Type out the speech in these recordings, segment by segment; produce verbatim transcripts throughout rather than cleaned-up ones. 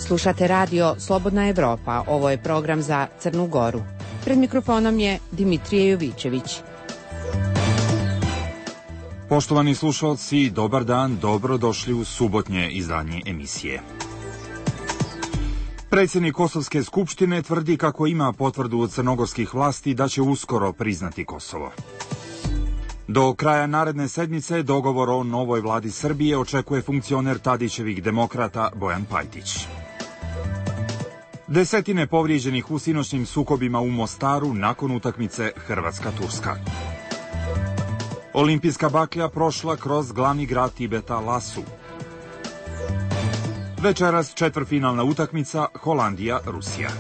Slušate radio Slobodna Evropa, ovo je program za Crnu Goru. Pred mikrofonom je Dimitrije Jovićević. Poštovani slušalci, dobar dan, dobro došli u subotnje izdanje emisije. Predsjednik Kosovske skupštine tvrdi kako ima potvrdu od crnogorskih vlasti da će uskoro priznati Kosovo. Do kraja naredne sedmice dogovor o novoj vladi Srbije očekuje funkcioner Tadićevih demokrata Bojan Pajtić. Desetine povrijeđenih u sinoćnim sukobima u Mostaru nakon utakmice Hrvatska-Turska. Olimpijska baklja prošla kroz glavni grad Tibeta Lasu. Večeras četvrtfinalna utakmica Holandija-Rusija.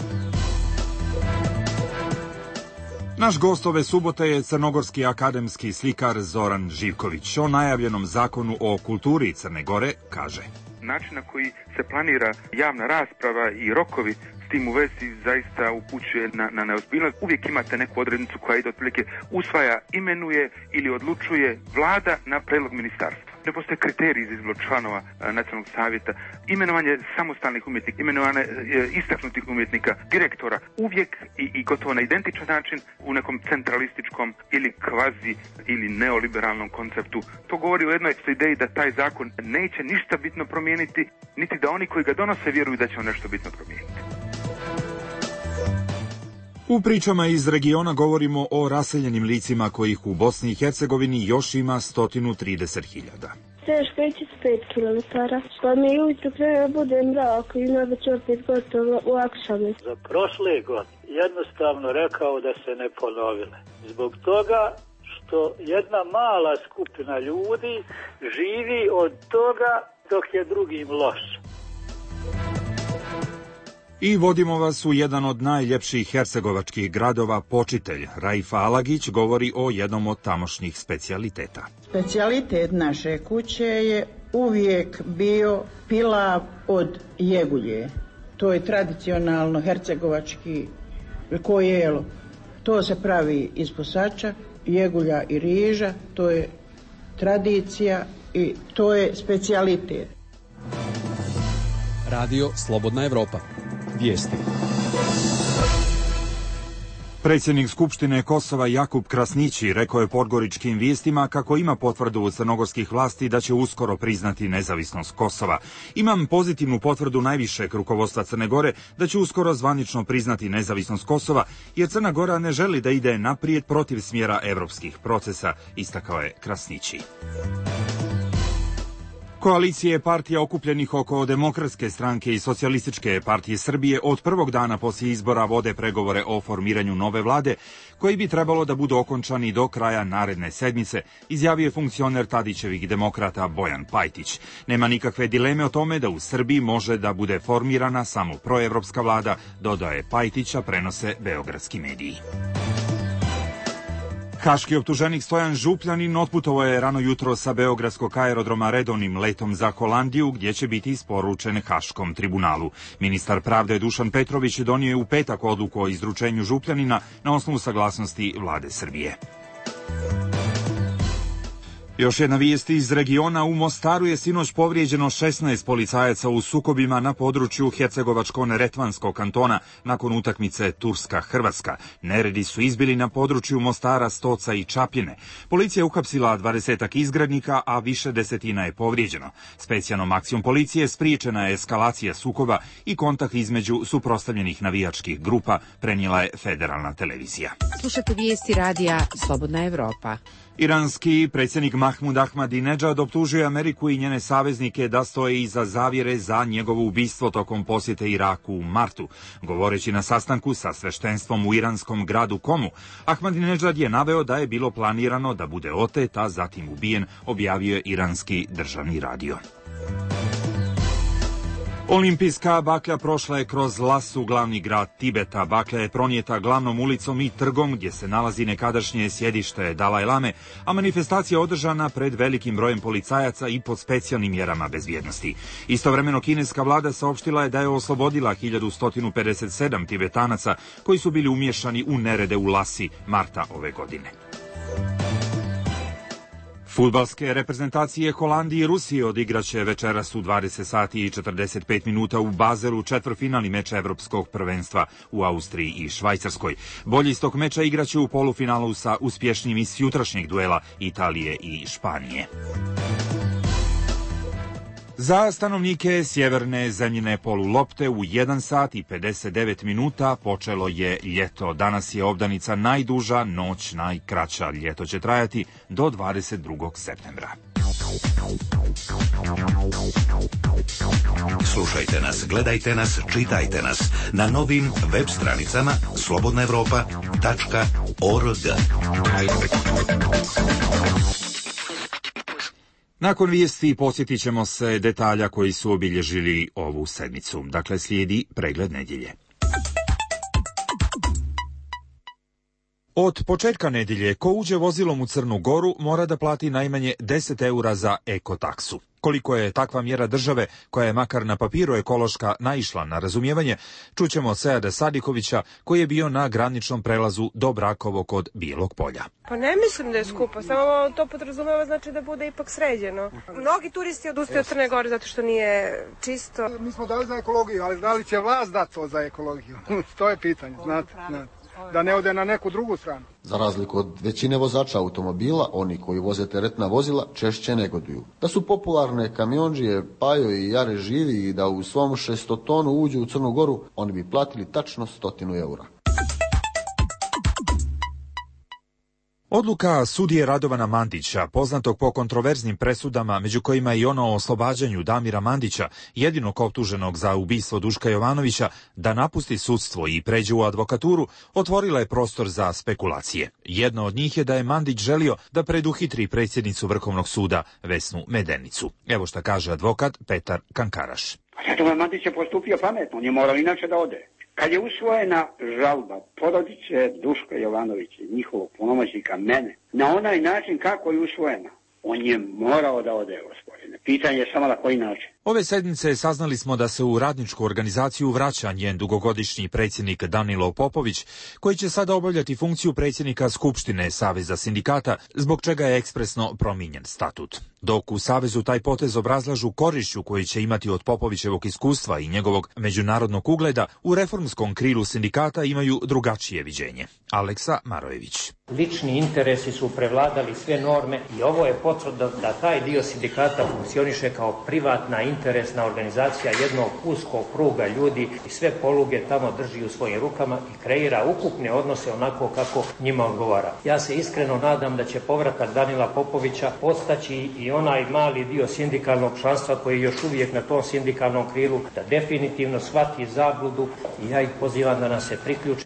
Naš gost ove subote je crnogorski akademski slikar Zoran Živković. O najavljenom zakonu o kulturi Crne Gore kaže: način na koji se planira javna rasprava i rokovi s tim u vezi zaista upućuje na, na neozbiljnost. Uvijek imate neku odrednicu koja ide otprilike usvaja, imenuje ili odlučuje vlada na predlog ministarstva. Ne postoje kriteriji za izbor članova nacionalnog savjeta, imenovanje samostalnih umjetnika, imenovanje e, istaknutih umjetnika, direktora, uvijek i, i gotovo na identičan način u nekom centralističkom ili kvazi ili neoliberalnom konceptu. To govori o jednoj ideji da taj zakon neće ništa bitno promijeniti, niti da oni koji ga donose vjeruju da će on nešto bitno promijeniti. U pričama iz regiona govorimo o raseljenim licima kojih u Bosni i Hercegovini još ima sto trideset hiljada. Teško ići s pet kilometara, pa mi ujutro krene bude mrak i onda će opet gotovo u akšame. Za prošle godine jednostavno rekao da se ne ponovile. Zbog toga što jedna mala skupina ljudi živi od toga dok je drugim loše. I vodimo vas u jedan od najljepših hercegovačkih gradova, Počitelj. Raifa Alagić govori o jednom od tamošnjih specijaliteta. Specijalitet naše kuće je uvijek bio pilav od jegulje. To je tradicionalno hercegovački kojelo. To se pravi iz posača, jegulja i riža. To je tradicija i to je specijalitet. Radio Slobodna Evropa. Vijesti. Predsjednik Skupštine Kosova Jakub Krasnići rekao je Podgoričkim vijestima kako ima potvrdu od crnogorskih vlasti da će uskoro priznati nezavisnost Kosova. Imam pozitivnu potvrdu najvišeg rukovodstva Crne Gore da će uskoro zvanično priznati nezavisnost Kosova, jer Crna Gora ne želi da ide naprijed protiv smjera evropskih procesa, istakao je Krasnići. Koalicije partija okupljenih oko Demokratske stranke i Socijalističke partije Srbije od prvog dana poslije izbora vode pregovore o formiranju nove vlade, koji bi trebalo da budu okončani do kraja naredne sedmice, izjavio je funkcioner Tadićevih demokrata Bojan Pajtić. Nema nikakve dileme o tome da u Srbiji može da bude formirana samo proevropska vlada, dodaje Pajtića, prenose beogradski mediji. Haški optuženik Stojan Župljanin otputovao je rano jutro sa beogradskog aerodroma redovnim letom za Holandiju, gdje će biti isporučen Haškom tribunalu. Ministar pravde Dušan Petrović donio je u petak odluku o izručenju Župljanina na osnovu saglasnosti vlade Srbije. Još jedna vijest iz regiona. U Mostaru je sinoć povrijeđeno šesnaest policajaca u sukobima na području Hercegovačko-Neretvanskog kantona nakon utakmice Turska-Hrvatska. Neredi su izbili na području Mostara, Stoca i Čapljine. Policija je uhapsila dvadesetak izgrednika, a više desetina je povrijeđeno. Specijalnom akcijom policije spriječena je eskalacija sukoba i kontakt između suprotstavljenih navijačkih grupa, prenijela je federalna televizija. Slušate vijesti radija Slobodna Evropa. Iranski predsjednik Mahmud Ahmadinedžad optužuje Ameriku i njene saveznike da stoje iza zavjere za njegovo ubistvo tokom posjete Iraku u martu. Govoreći na sastanku sa sveštenstvom u iranskom gradu Komu, Ahmadinedžad je naveo da je bilo planirano da bude otet, a zatim ubijen, objavio je iranski državni radio. Olimpijska baklja prošla je kroz Lasu, glavni grad Tibeta. Baklja je pronijeta glavnom ulicom i trgom gdje se nalazi nekadašnje sjedište Dalaj Lame, a manifestacija održana pred velikim brojem policajaca i pod specijalnim mjerama bezbjednosti. Istovremeno kineska vlada saopštila je da je oslobodila hiljadu sto pedeset sedam Tibetanaca koji su bili umiješani u nerede u Lasi marta ove godine. Fudbalske reprezentacije Holandije i Rusije odigraće večeras u dvadeset sati i četrdeset pet minuta u Bazelu četvrtfinalni meč evropskog prvenstva u Austriji i Švajcarskoj. Bolji iz tog meča igraće u polufinalu sa uspješnijim iz jutrašnjeg duela Italije i Španije. Za stanovnike sjeverne zemljine polulopte u jedan sat i pedeset devet minuta počelo je ljeto. Danas je obdanica najduža, noć najkraća. Ljeto će trajati do dvadeset drugog septembra. Slušajte nas, gledajte nas, čitajte nas na novim web stranicama slobodna evropa tačka org. Nakon vijesti posjetit ćemo se detalja koji su obilježili ovu sedmicu. Dakle, slijedi pregled nedjelje. Od početka nedjelje, ko uđe vozilom u Crnu Goru mora da plati najmanje deset eura za ekotaksu. Koliko je takva mjera države, koja je makar na papiru ekološka, naišla na razumijevanje, čućemo od Seada Sadikovića, koji je bio na graničnom prelazu do Brakovo kod Bijelog Polja. Pa ne mislim da je skupo, samo to podrazumeva znači da bude ipak sređeno. Mnogi turisti odustaju od Crne Gore zato što nije čisto. Mi smo dali za ekologiju, ali da li će vlast dati to za ekologiju? To je pitanje, znate, znate. Da ne ode na neku drugu stranu. Za razliku od većine vozača automobila, oni koji voze teretna vozila češće negoduju. Da su popularne kamiondžije Pajo i Jare živi i da u svom šestotonu uđu u Crnu Goru, oni bi platili tačno stotinu eura. Odluka sudije Radovana Mandića, poznatog po kontroverznim presudama, među kojima i ono o oslobađanju Damira Mandića, jedinog optuženog za ubistvo Duška Jovanovića, da napusti sudstvo i pređe u advokaturu, otvorila je prostor za spekulacije. Jedna od njih je da je Mandić želio da preduhitri predsjednicu Vrhovnog suda Vesnu Medenicu. Evo šta kaže advokat Petar Kankaraš. Radovan Mandić je postupio pametno, on je morao inače da ode. Kad je usvojena žalba porodice Duška Jovanovića i njihovog punomoćnika mene, na onaj način kako je usvojena, on je morao da ode, gospodine. Pitanje je samo na koji način. Ove sedmice saznali smo da se u radničku organizaciju vraća njen dugogodišnji predsjednik Danilo Popović, koji će sada obavljati funkciju predsjednika Skupštine Saveza sindikata, zbog čega je ekspresno promijenjen statut. Dok u Savezu taj potez obrazlažu korišću koji će imati od Popovićevog iskustva i njegovog međunarodnog ugleda, u reformskom krilu sindikata imaju drugačije viđenje. Aleksa Marojević. Lični interesi su prevladali sve norme i ovo je potvrda da taj dio sindikata funkcioniše kao privatna interesna organizacija jednog uskog kruga ljudi i sve poluge tamo drži u svojim rukama i kreira ukupne odnose onako kako njima odgovara. Ja se iskreno nadam da će povratak Danila Popovića podstaći i onaj mali dio sindikalnog članstva koji je još uvijek na tom sindikalnom krilu da definitivno shvati zabludu i ja ih pozivam da nas se priključi.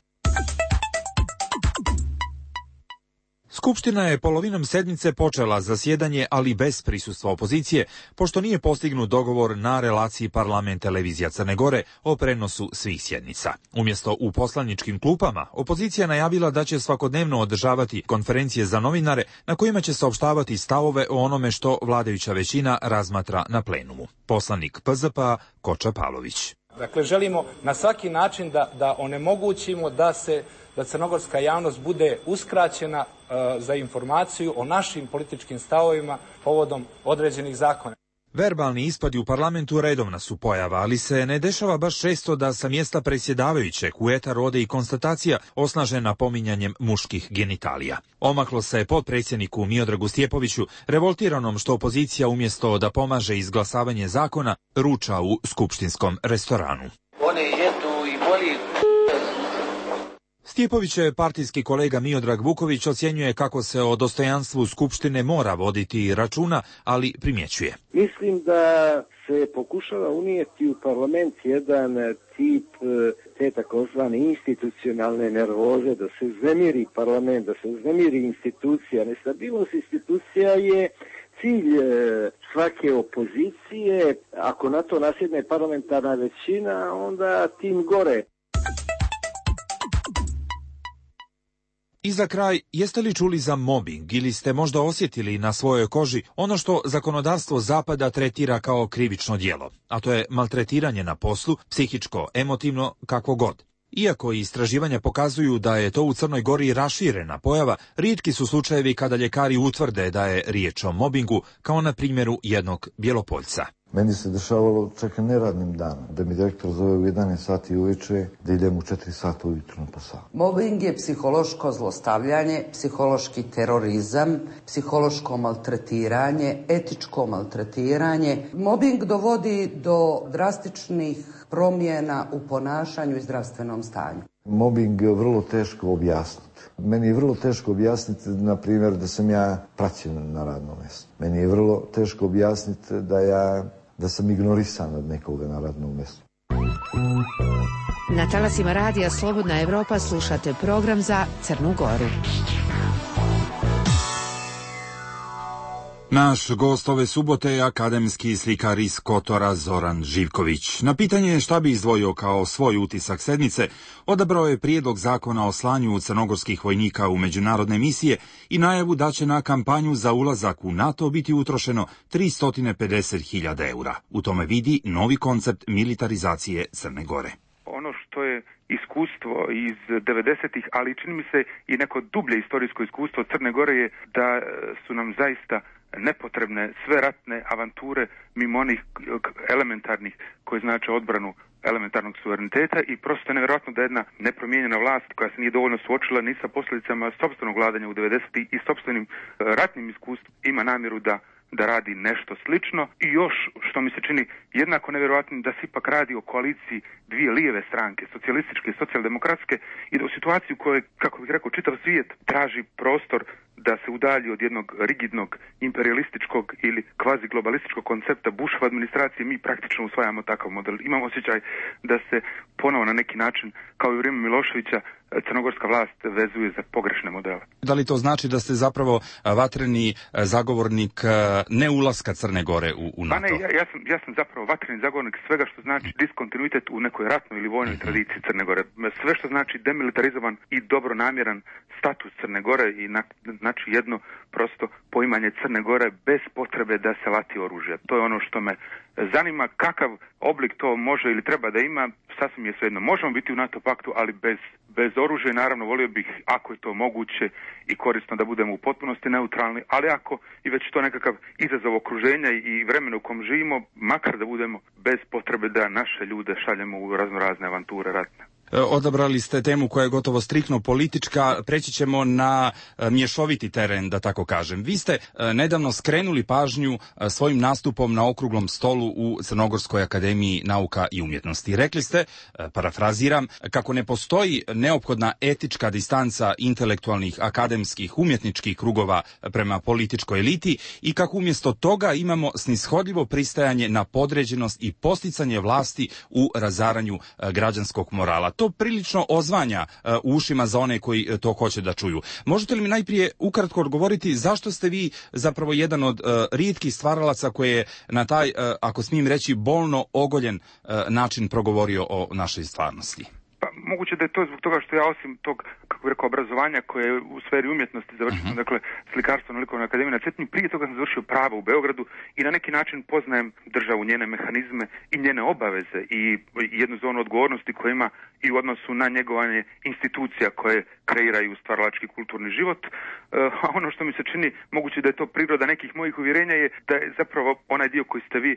Skupština je polovinom sedmice počela zasjedanje, ali bez prisustva opozicije, pošto nije postignut dogovor na relaciji parlament televizija Crne Gore o prenosu svih sjednica. Umjesto u poslaničkim klupama, opozicija najavila da će svakodnevno održavati konferencije za novinare na kojima će saopštavati stavove o onome što vladajuća većina razmatra na plenumu. Poslanik P Z P-a Koča Pavlović. Dakle, želimo na svaki način da, da onemogućimo da se da crnogorska javnost bude uskraćena uh, za informaciju o našim političkim stavovima povodom određenih zakona. Verbalni ispadi u parlamentu redovna su pojava, ali se ne dešava baš često da sa mjesta predsjedavajućeg u etar ode i konstatacija osnažena pominjanjem muških genitalija. Omaklo se potpredsjedniku Miodragu Stjepoviću, revoltiranom što opozicija umjesto da pomaže izglasavanje zakona, ruča u skupštinskom restoranu. Oni jedu i boli. Stjepovićev partijski kolega Miodrag Vuković ocjenjuje kako se o dostojanstvu Skupštine mora voditi računa, ali primjećuje. Mislim da se pokušava unijeti u parlament jedan tip te takozvane institucionalne nervoze, da se uznemiri parlament, da se uznemiri institucija. Nestabilnost institucija je cilj svake opozicije. Ako na to nasjedne parlamentarna većina, onda tim gore. I za kraj, jeste li čuli za mobbing ili ste možda osjetili na svojoj koži ono što zakonodavstvo Zapada tretira kao krivično djelo, a to je maltretiranje na poslu, psihičko, emotivno, kako god. Iako istraživanja pokazuju da je to u Crnoj Gori raširena pojava, rijetki su slučajevi kada ljekari utvrde da je riječ o mobingu, kao na primjeru jednog Bjelopoljca. Meni se dešavalo čak i neradnim danom, da mi direktor zove u jedanaest sati uveče, da idem u četiri sata ujutro na posao. Mobbing je psihološko zlostavljanje, psihološki terorizam, psihološko maltretiranje, etičko maltretiranje. Mobbing dovodi do drastičnih promjena u ponašanju i zdravstvenom stanju. Mobbing je vrlo teško objasniti. Meni je vrlo teško objasniti, na primjer, da sam ja praćen na radnom mjestu. Meni je vrlo teško objasniti da ja da sam ignorisan od nekoga na radnom mjestu. Na talasima radija Slobodna Evropa slušate program za Crnu Goru. Naš gost ove subote je akademski slikar iz Kotora Zoran Živković. Na pitanje šta bi izdvojio kao svoj utisak sedmice, odabrao je prijedlog zakona o slanju crnogorskih vojnika u međunarodne misije i najavu da će na kampanju za ulazak u NATO biti utrošeno tristo pedeset hiljada eura. U tome vidi novi koncept militarizacije Crne Gore. Ono što je iskustvo iz devedesetih, ali čini mi se i neko dublje istorijsko iskustvo Crne Gore je da su nam zaista nepotrebne sve ratne avanture mimo onih elementarnih koje znače odbranu elementarnog suvereniteta i prosto je nevjerojatno da jedna nepromijenjena vlast koja se nije dovoljno suočila ni sa posljedicama sopstvenog vladanja u devedesetih i sopstvenim ratnim iskustvom ima namjeru da da radi nešto slično i još, što mi se čini jednako nevjerojatnim, da se ipak radi o koaliciji dvije lijeve stranke, socijalističke i socijaldemokratske i da u situaciji u kojoj, kako bih rekao, čitav svijet traži prostor da se udalji od jednog rigidnog imperialističkog ili kvazi globalističkog koncepta Bushove administracije, mi praktično usvajamo takav model. Imam osjećaj da se ponovo na neki način, kao i u vrijeme Miloševića, crnogorska vlast vezuje za pogrešne modele. Da li to znači da ste zapravo vatreni zagovornik ne ulaska Crne Gore u, u NATO? Pa ne, ja, ja, sam, ja sam zapravo vatreni zagovornik svega što znači diskontinuitet u nekoj ratnoj ili vojnoj uh-huh. tradiciji Crne Gore. Sve što znači demilitarizovan i dobronamjeran status Crne Gore i na, znači jedno prosto poimanje Crne Gore bez potrebe da se lati oružje. To je ono što me zanima, kakav oblik to može ili treba da ima, sasvim je svejedno. Možemo biti u NATO paktu, ali bez, bez oružja. Naravno, volio bih, ako je to moguće i korisno, da budemo u potpunosti neutralni, ali ako i već to nekakav izazov okruženja i vremena u kom živimo, makar da budemo bez potrebe da naše ljude šaljemo u razno razne avanture ratne. Odabrali ste temu koja je gotovo striktno politička, preći ćemo na mješoviti teren, da tako kažem. Vi ste nedavno skrenuli pažnju svojim nastupom na okruglom stolu u Crnogorskoj akademiji nauka i umjetnosti. Rekli ste, parafraziram, kako ne postoji neophodna etička distanca intelektualnih, akademskih, umjetničkih krugova prema političkoj eliti i kako umjesto toga imamo snishodljivo pristajanje na podređenost i posticanje vlasti u razaranju građanskog morala. To prilično ozvanja uh, u ušima za one koji uh, to hoće da čuju. Možete li mi najprije ukratko odgovoriti zašto ste vi zapravo jedan od uh, rijetkih stvaralaca koji je na taj, uh, ako smijem reći, bolno ogoljen uh, način progovorio o našoj stvarnosti? Pa moguće da je to zbog toga što ja osim tog, kako bih rekao, obrazovanja koje je u sferi umjetnosti završio, uh-huh. dakle slikarstvo na Likovnoj akademiji na Cetinju, prije toga sam završio pravo u Beogradu i na neki način poznajem državu, njene mehanizme i njene obaveze i jednu zonu odgovornosti koja ima i u odnosu na njegovanje institucija koje kreiraju stvaralački kulturni život. A ono što mi se čini, moguće da je to priroda nekih mojih uvjerenja, je da je zapravo onaj dio koji ste vi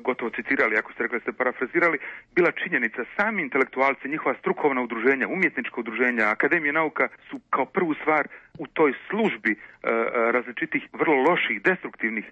gotovo citirali, ako ste rekli da ste parafrazirali, bila činjenica. Sami intelektualci, njihova strukovna udruženja, umjetnička udruženja, akademije nauka su kao prvu stvar u toj službi e, različitih vrlo loših, destruktivnih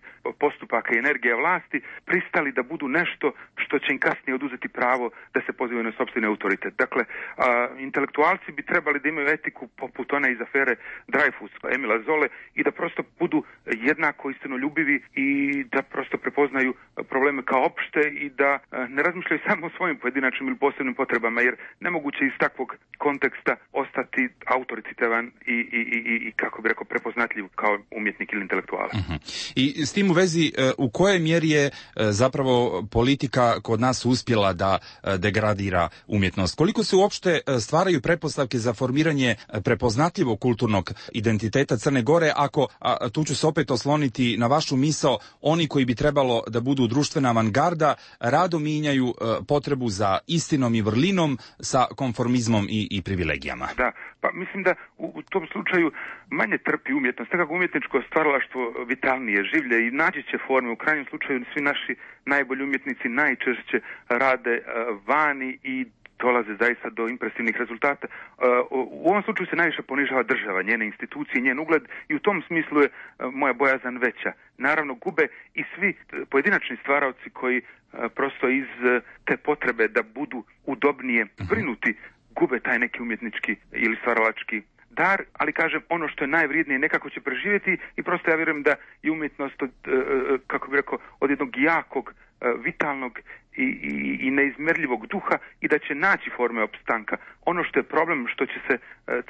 postupaka i energije vlasti pristali da budu nešto što će im kasnije oduzeti pravo da se pozivaju na sopstveni autoritet. Dakle, a, intelektualci bi trebali da imaju etiku poput one iz afere Dreyfus, Emila Zole, i da prosto budu jednako istinoljubivi i da prosto prepoznaju probleme kao opšte i da a, ne razmišljaju samo o svojim pojedinačnim ili posebnim potrebama, jer nemoguće iz takvog konteksta ostati autoritativan i, i, i, i kako bi rekao prepoznatljiv kao umjetnik ili intelektualac. Uh-huh. I s tim u vezi, u kojoj mjeri je zapravo politika kod nas uspjela da degradira umjetnost? Koliko se uopšte stvaraju pretpostavke za formiranje prepoznatljivog kulturnog identiteta Crne Gore, ako, a tu ću se opet osloniti na vašu misao, oni koji bi trebalo da budu društvena avangarda rado mijenjaju potrebu za istinom i vrlinom sa konformizmom i, i privilegijama. Da, pa mislim da u, u tom slučaju manje trpi umjetnost, nekako umjetničko stvaralaštvo vitalnije, življe i naći će forme. U krajnjem slučaju svi naši najbolji umjetnici najčešće rade uh, vani i dolaze zaista do impresivnih rezultata. U ovom slučaju se najviše ponižava država, njene institucije, njen ugled i u tom smislu je moja bojazan veća. Naravno gube i svi pojedinačni stvaraoci koji prosto iz te potrebe da budu udobnije brinuti gube taj neki umjetnički ili stvaralački dar, ali kažem ono što je najvrijednije nekako će preživjeti i prosto ja vjerujem da je umjetnost od, kako bih rekao, od jednog jakog, vitalnog i, i, i neizmjerljivog duha i da će naći forme opstanka. Ono što je problem, što će se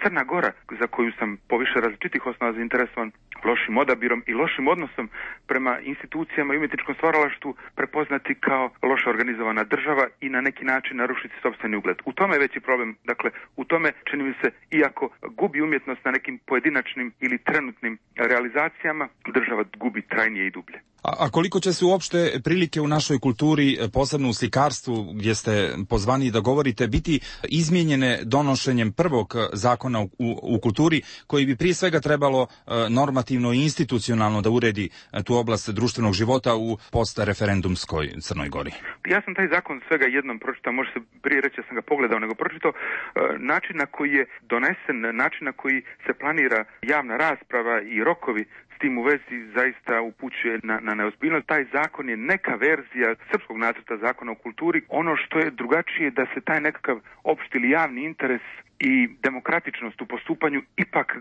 Crna Gora, za koju sam po više različitih osnova zainteresovan, lošim odabirom i lošim odnosom prema institucijama i umjetničkom stvaralaštvu prepoznati kao loše organizovana država i na neki način narušiti sopstveni ugled. U tome je veći problem. Dakle, u tome čini mi se, iako gubi umjetnost na nekim pojedinačnim ili trenutnim realizacijama, država gubi trajnije i dublje. A, a koliko će se uopšte prilike u našoj kulturi, posebno u slikarstvu, gdje ste pozvani da govorite, biti izmijenjene donošenjem prvog zakona u, u, u kulturi, koji bi prije svega trebalo normativno i institucionalno da uredi tu oblast društvenog života u postreferendumskoj Crnoj Gori? Ja sam taj zakon svega jednom pročitao, može se prije reći da sam ga pogledao, nego pročitao način na koji je donesen, način na koji se planira javna rasprava i rokovi s tim u vezi zaista upućuje na, na neozbiljnost. Taj zakon je neka verzija srpskog nacrta zakona o kulturi. Ono što je drugačije da se taj nekakav opšti ili javni interes i demokratičnost u postupanju ipak,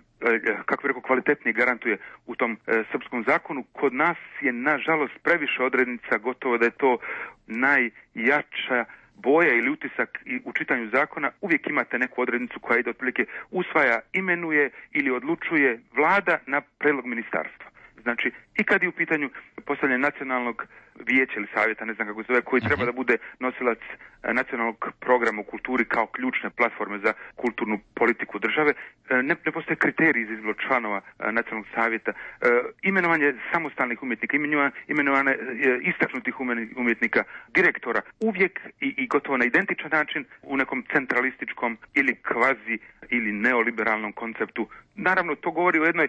kako bih rekao, kvalitetnije garantuje u tom e, srpskom zakonu. Kod nas je nažalost previše odrednica, gotovo da je to najjača boja ili utisak u čitanju zakona. Uvijek imate neku odrednicu koja ide otprilike usvaja, imenuje ili odlučuje vlada na predlog ministarstva. Znači, i kad je u pitanju postavljanje nacionalnog vijeća ili savjeta, ne znam kako se zove, koji treba da bude nosilac nacionalnog programa u kulturi kao ključne platforme za kulturnu politiku države, ne, ne postoje kriteriji za izbor članova nacionalnog savjeta, imenovanje samostalnih umjetnika, imenovanje istaknutih umjetnika, direktora, uvijek i, i gotovo na identičan način u nekom centralističkom ili kvazi ili neoliberalnom konceptu. Naravno, to govori o jednoj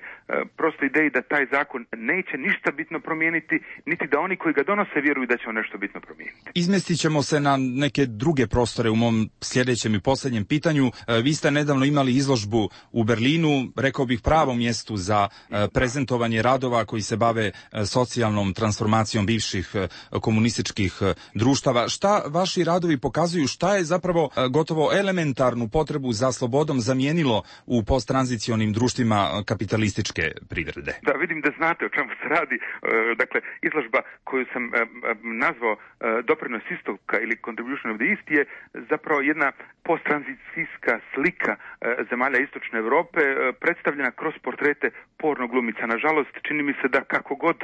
prostoj ideji da taj zakon neće ništa bitno promijeniti, niti da oni koji ga donose vjeruju da će on nešto bitno promijeniti. Izmestit ćemo se na neke druge prostore u mom sljedećem i posljednjem pitanju. Vi ste nedavno imali izložbu u Berlinu, rekao bih pravom mjestu za prezentovanje radova koji se bave socijalnom transformacijom bivših komunističkih društava. Šta vaši radovi pokazuju, šta je zapravo gotovo elementarnu potrebu za slobodom zamijenilo u posttranzicionim društvima kapitalističke privrede? Da, vidim da znate o čemu se radi. Dakle, izložba koju sam nazvao Doprinos istoka ili Contribution of the East je zapravo jedna posttranzicijska slika zemalja istočne Europe predstavljena kroz portrete porno glumica. Nažalost, čini mi se da kako god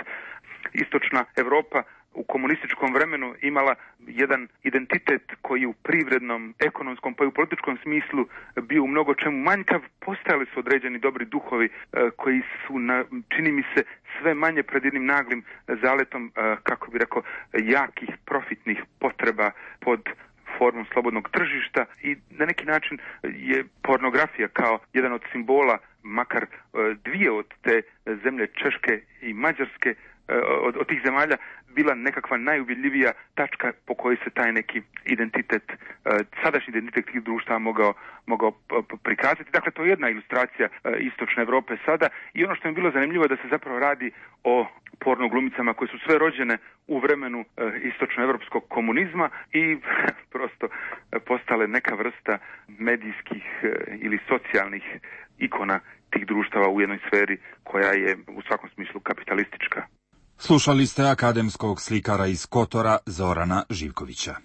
istočna Europa u komunističkom vremenu imala jedan identitet koji je u privrednom, ekonomskom pa i u političkom smislu bio u mnogo čemu manjkav, postojali su određeni dobri duhovi koji su, na, čini mi se, sve manje pred jednim naglim zaletom, kako bi rekao, jakih profitnih potreba pod formom slobodnog tržišta i na neki način je pornografija kao jedan od simbola, makar dvije od te zemlje Češke i Mađarske, od, od tih zemalja bila nekakva najuvjedljivija tačka po kojoj se taj neki identitet, sadašnji identitet tih društava mogao, mogao prikazati. Dakle, to je jedna ilustracija istočne Europe sada i ono što mi je bilo zanimljivo je da se zapravo radi o porno glumicama koje su sve rođene u vremenu istočnoevropskog komunizma i prosto postale neka vrsta medijskih ili socijalnih ikona tih društava u jednoj sferi koja je u svakom smislu kapitalistička. Slušali ste akademskog slikara iz Kotora Zorana Živkovića.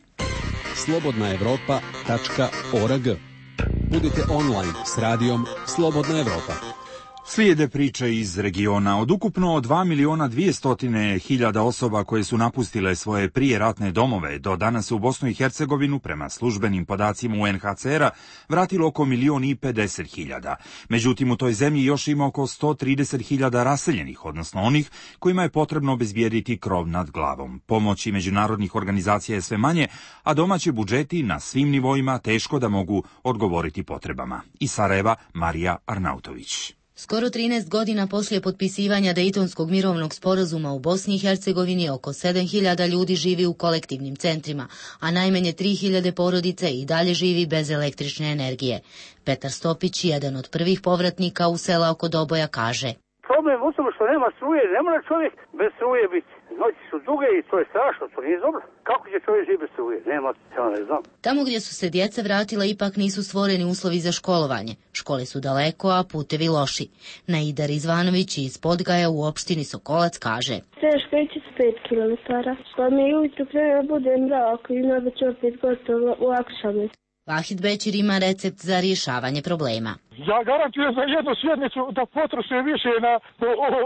slobodna evropa tačka org. Budite online s radijom Slobodna Evropa. Slijede priče iz regiona. Od ukupno dva miliona dvjesto hiljada osoba koje su napustile svoje prijeratne domove, do danas se u Bosnu i Hercegovinu, prema službenim podacima U N H C R-a, vratilo oko milion i pedeset hiljada. Međutim, u toj zemlji još ima oko sto trideset hiljada raseljenih, odnosno onih kojima je potrebno obezbijediti krov nad glavom. Pomoći međunarodnih organizacija je sve manje, a domaći budžeti na svim nivoima teško da mogu odgovoriti potrebama. Iz Sarajeva, Marija Arnautović. Skoro trinaest godina poslije potpisivanja Dejtonskog mirovnog sporazuma u Bosni i Hercegovini oko sedam hiljada ljudi živi u kolektivnim centrima, a najmanje tri hiljade porodice i dalje živi bez električne energije. Petar Stopić, jedan od prvih povratnika u sela oko Doboja, kaže: Problem u tome što nema struje, ne mora čovjek bez struje biti. Noći su duge i to je strašno, to nije dobro. Kako će čovjek živjeti bez struje? Nema, ja ne znam. Tamo gdje su se djeca vratila ipak nisu stvoreni uslovi za školovanje. Škole su daleko, a putevi loši. Naida Rizvanović iz Podgaja u opštini Sokolac kaže: Teško ići s pet kilometara. Pa mi ujutru prema bude mrak i onda će opet gotovo u akšame. Vahid Bećir ima recept za rješavanje problema. Ja garantujem za jednu sjednicu da potroše više na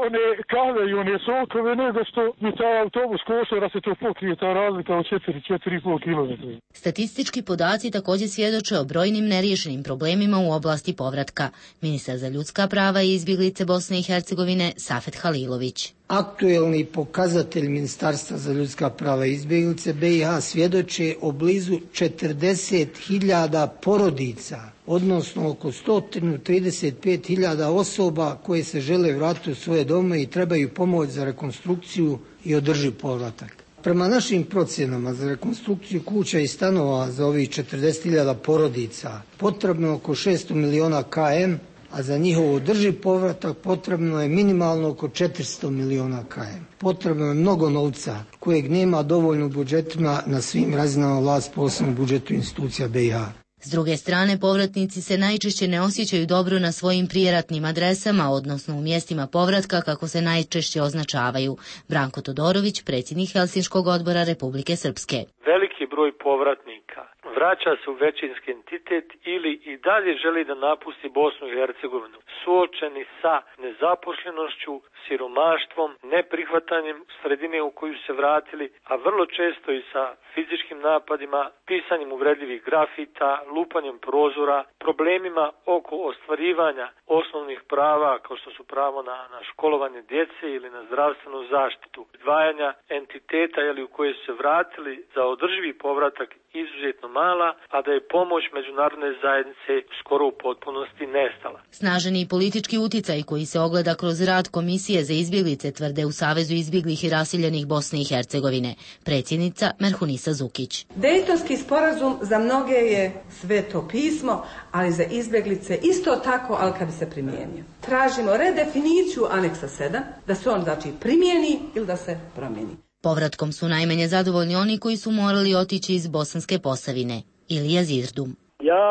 one kave i one sokove nego što mi taj autobus košta da se to pokrije, ta razlika od četiri, četiri i pol kilometra. Statistički podaci također svjedoče o brojnim neriješenim problemima u oblasti povratka. Ministar za ljudska prava i izbjeglice Bosne i Hercegovine Safet Halilović. Aktuelni pokazatelj Ministarstva za ljudska prava i izbjeglice B i H svjedoče o blizu četrdeset hiljada porodica, odnosno oko sto trideset pet hiljada osoba koje se žele vratiti u svoje dome i trebaju pomoć za rekonstrukciju i održiv povratak. Prema našim procjenama za rekonstrukciju kuća i stanova za ovih četrdeset hiljada porodica potrebno je oko šesto miliona km, a za njihov održiv povratak potrebno je minimalno oko četiristo miliona km. Potrebno je mnogo novca kojeg nema dovoljno u budžetima na svim razinama vlasti, posebno u budžetu institucija B i H. S druge strane, povratnici se najčešće ne osjećaju dobro na svojim prijeratnim adresama, odnosno u mjestima povratka kako se najčešće označavaju. Branko Todorović, predsjednik Helsinškog odbora Republike Srpske. Veliki broj povratnika vraća se u većinski entitet ili i dalje želi da napusti Bosnu i Hercegovinu, suočeni sa nezaposlenošću, siromaštvom, neprihvatanjem sredine u koju se vratili, a vrlo često i sa fizičkim napadima, pisanjem uvredljivih grafita, lupanjem prozora, problemima oko ostvarivanja osnovnih prava kao što su pravo na, na školovanje djece ili na zdravstvenu zaštitu, izdvajanja entiteta ili u koje su se vratili za održivi povratak izuzetno mala, a da je pomoć međunarodne zajednice skoro u potpunosti nestala. Snaženi politički uticaj koji se ogleda kroz rad Komisije za izbjeglice, tvrde u Savezu izbjeglih i raseljenih Bosne i Hercegovine. Predsjednica Merhunisa Zukić. Dejtonski sporazum za mnoge je sveto pismo, ali za izbjeglice isto tako, ali kad bi se primijenio. Tražimo redefiniciju aneksa sedam, da se on znači primijeni ili da se promijeni. Povratkom su najmanje zadovoljni oni koji su morali otići iz Bosanske Posavine. Ilija Zirdum. Ja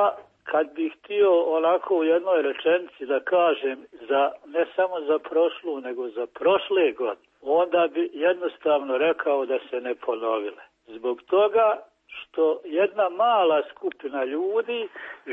kad bih htio onako u jednoj rečenici da kažem za ne samo za prošlu nego za prošle godine, onda bi jednostavno rekao da se ne ponovile. Zbog toga što jedna mala skupina ljudi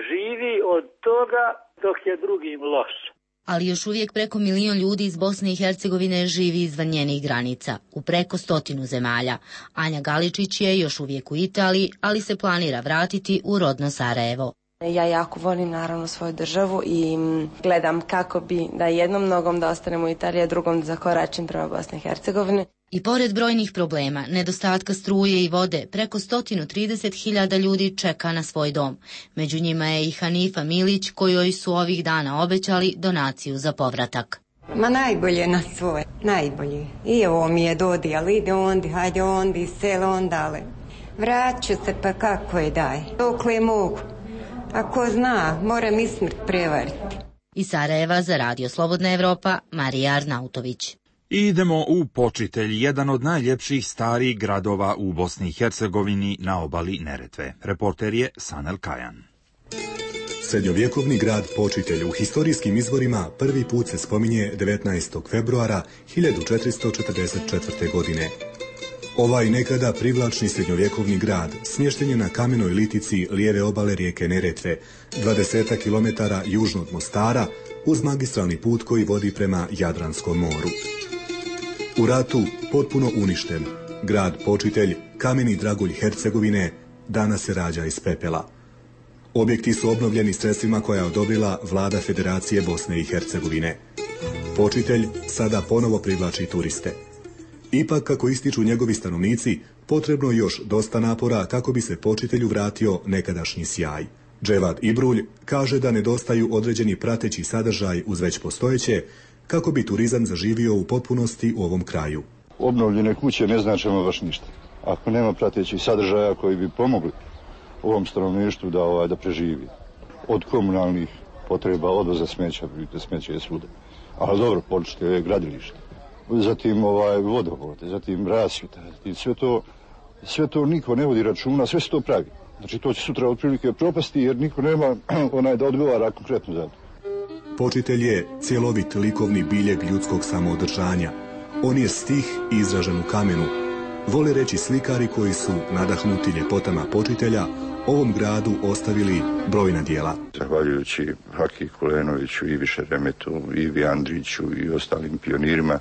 živi od toga dok je drugim loše. Ali još uvijek preko milion ljudi iz Bosne i Hercegovine živi izvan njenih granica, u preko stotinu zemalja. Anja Galičić je još uvijek u Italiji, ali se planira vratiti u rodno Sarajevo. Ja jako volim naravno svoju državu i gledam kako bi da jednom nogom da ostanem u Italiji, a drugom da zakoračim prema Bosne i Hercegovine. I pored brojnih problema, nedostatka struje i vode, preko sto trideset hiljada ljudi čeka na svoj dom. Među njima je i Hanifa Milić, kojoj su ovih dana obećali donaciju za povratak. Ma najbolje na svoje, najbolje. I ovo mi je dodi, ali ide ondi, hajde ondi, selo ondale. Vraću se pa kako je daj, dokle mogu. Ako zna, moram i smrt prevariti. Iz Sarajeva za Radio Slobodna Evropa, Marija Arnautović. I idemo u Počitelj, jedan od najljepših starih gradova u Bosni i Hercegovini na obali Neretve. Reporter je Sanel Kajan. Srednjovjekovni grad Počitelj u historijskim izvorima prvi put se spominje devetnaestog februara hiljadu četiristo četrdeset četvrte. godine. Ovaj nekada privlačni srednjovjekovni grad smješten je na kamenoj litici lijeve obale rijeke Neretve, dvadeset kilometara južno od Mostara, uz magistralni put koji vodi prema Jadranskom moru. U ratu potpuno uništen, grad počitelj, kameni dragulj Hercegovine, danas se rađa iz pepela. Objekti su obnovljeni sredstvima koja je odobrila vlada Federacije Bosne i Hercegovine. Počitelj sada ponovo privlači turiste. Ipak, kako ističu njegovi stanovnici, potrebno još dosta napora kako bi se počitelju vratio nekadašnji sjaj. Dževad Ibrulj kaže da nedostaju određeni prateći sadržaj uz već postojeće, kako bi turizam zaživio u potpunosti u ovom kraju. Obnovljene kuće ne znače baš ništa. Ako nema pratećih sadržaja koji bi pomogli ovom stanovništvu da, ovaj, da preživi. Od komunalnih potreba, odvoza smeća, vidite, smeće je svuda. Ali dobro, počete je gradilište. Zatim ovaj, vodovod, zatim rasvjeta, zatim sve to, sve to niko ne vodi računa, sve se to pravi. Znači to će sutra otprilike propasti jer niko nema onaj da odgovara konkretno za to. Počitelj je cjelovit likovni biljeg ljudskog samoodržanja. On je stih izražen u kamenu. Vole reći slikari koji su, nadahnuti ljepotama počitelja, ovom gradu ostavili brojna djela. Zahvaljujući Haki Kulenoviću, Ivi Šeremetu, Ivi Andriću i ostalim pionirima,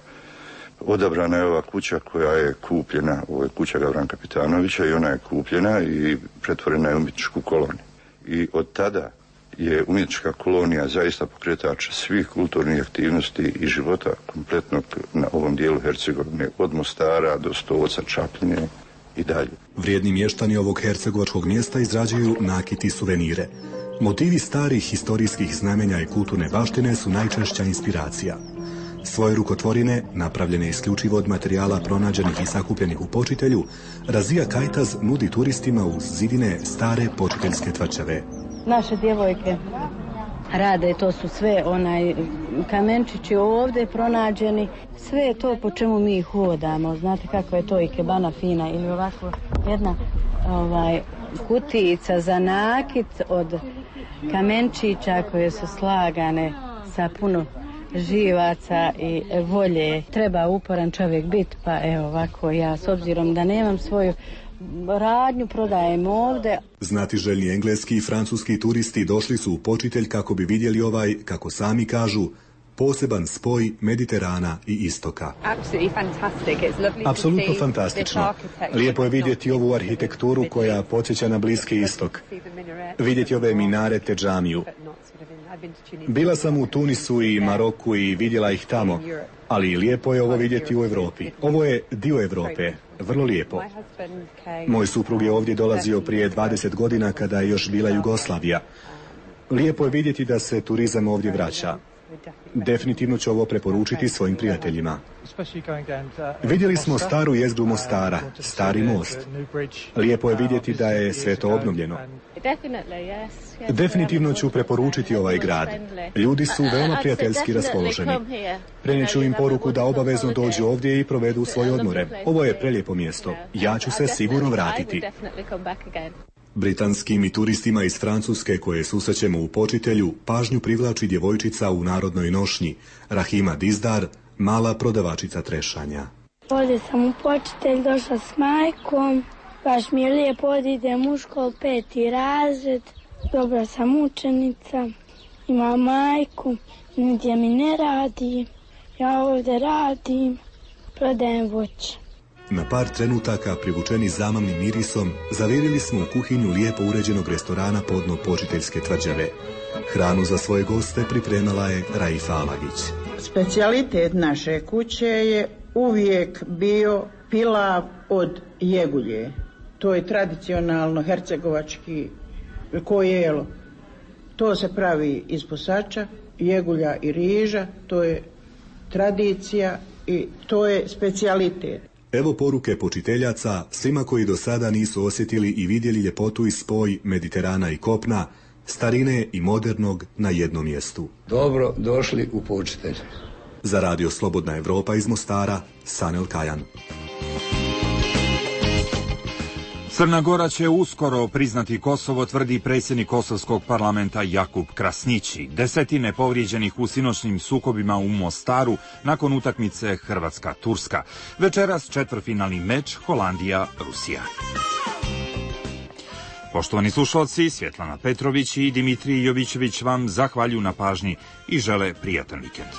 odabrana je ova kuća koja je kupljena, ovo je kuća Gavran Kapitanovića i ona je kupljena i pretvorena je u umjetničku koloniju. I od tada je umjetnička kolonija zaista pokretač svih kulturnih aktivnosti i života kompletnog na ovom dijelu Hercegovine, od Mostara do Stoca, Čapljine i dalje. Vrijedni mještani ovog hercegovačkog mjesta izrađuju nakit i suvenire. Motivi starih historijskih znamenja i kulturne baštine su najčešća inspiracija. Svoje rukotvorine, napravljene isključivo od materijala pronađenih i sakupljenih u počitelju, Razija Kajtaz nudi turistima uz zidine stare počiteljske tvrđave. Naše djevojke rade, to su sve onaj kamenčići ovdje pronađeni, sve je to po čemu mi hodamo. Znate kako je to ikebana fina ili ovako jedna ovaj, kutijica za nakit od kamenčića koje su slagane sa puno živaca i volje. Treba uporan čovjek biti, pa evo ovako ja s obzirom da nemam svoju radnju prodajem ovdje. Znatiželjni engleski i francuski turisti došli su u počitelj kako bi vidjeli ovaj, kako sami kažu, poseban spoj Mediterana i istoka. Apsolutno fantastično. Lijepo je vidjeti ovu arhitekturu koja podsjeća na Bliski istok. Vidjeti ove minarete, džamiju. Bila sam u Tunisu i Maroku i vidjela ih tamo, ali lijepo je ovo vidjeti u Europi. Ovo je dio Europe, vrlo lijepo. Moj suprug je ovdje dolazio prije dvadeset godina kada je još bila Jugoslavija. Lijepo je vidjeti da se turizam ovdje vraća. Definitivno ću ovo preporučiti svojim prijateljima. Vidjeli smo staru jezgru Mostara, stari most. Lijepo je vidjeti da je sve to obnovljeno. Definitivno ću preporučiti ovaj grad. Ljudi su veoma prijateljski raspoloženi. Prenijeću im poruku da obavezno dođu ovdje i provedu svoje odmore. Ovo je prelijepo mjesto. Ja ću se sigurno vratiti. Britanskim i turistima iz Francuske koje susrećemo u počitelju pažnju privlači djevojčica u narodnoj nošnji, Rahima Dizdar, mala prodavačica trešanja. Ovdje sam u počitelj, došla s majkom, baš mi je lijepo, ovdje idem u školu, peti razred, dobra sam učenica, imam majku, nigdje mi ne radi, ja ovdje radim, prodajem voće. Na par trenutaka, privučeni zamamnim mirisom, zavirili smo u kuhinju lijepo uređenog restorana podno počiteljske tvrđave. Hranu za svoje goste pripremala je Raifa Alagić. Specijalitet naše kuće je uvijek bio pilav od jegulje. To je tradicionalno hercegovački kojelo. To se pravi iz posača, jegulja i riža, to je tradicija i to je specijalitet. Evo poruke počiteljaca svima koji do sada nisu osjetili i vidjeli ljepotu i spoj Mediterana i kopna, starine i modernog na jednom mjestu. Dobro došli u počitelj. Za radio Slobodna Evropa iz Mostara, Sanel Kajan. Crna Gora će uskoro priznati Kosovo, tvrdi predsjednik kosovskog parlamenta Jakub Krasnići. Desetine povrijeđenih u sinoćnim sukobima u Mostaru nakon utakmice Hrvatska-Turska. Večeras četvrtfinalni meč Holandija-Rusija. Poštovani slušalci, Svjetlana Petrović i Dimitrij Jovićević vam zahvaljuju na pažnji i žele prijatan vikend.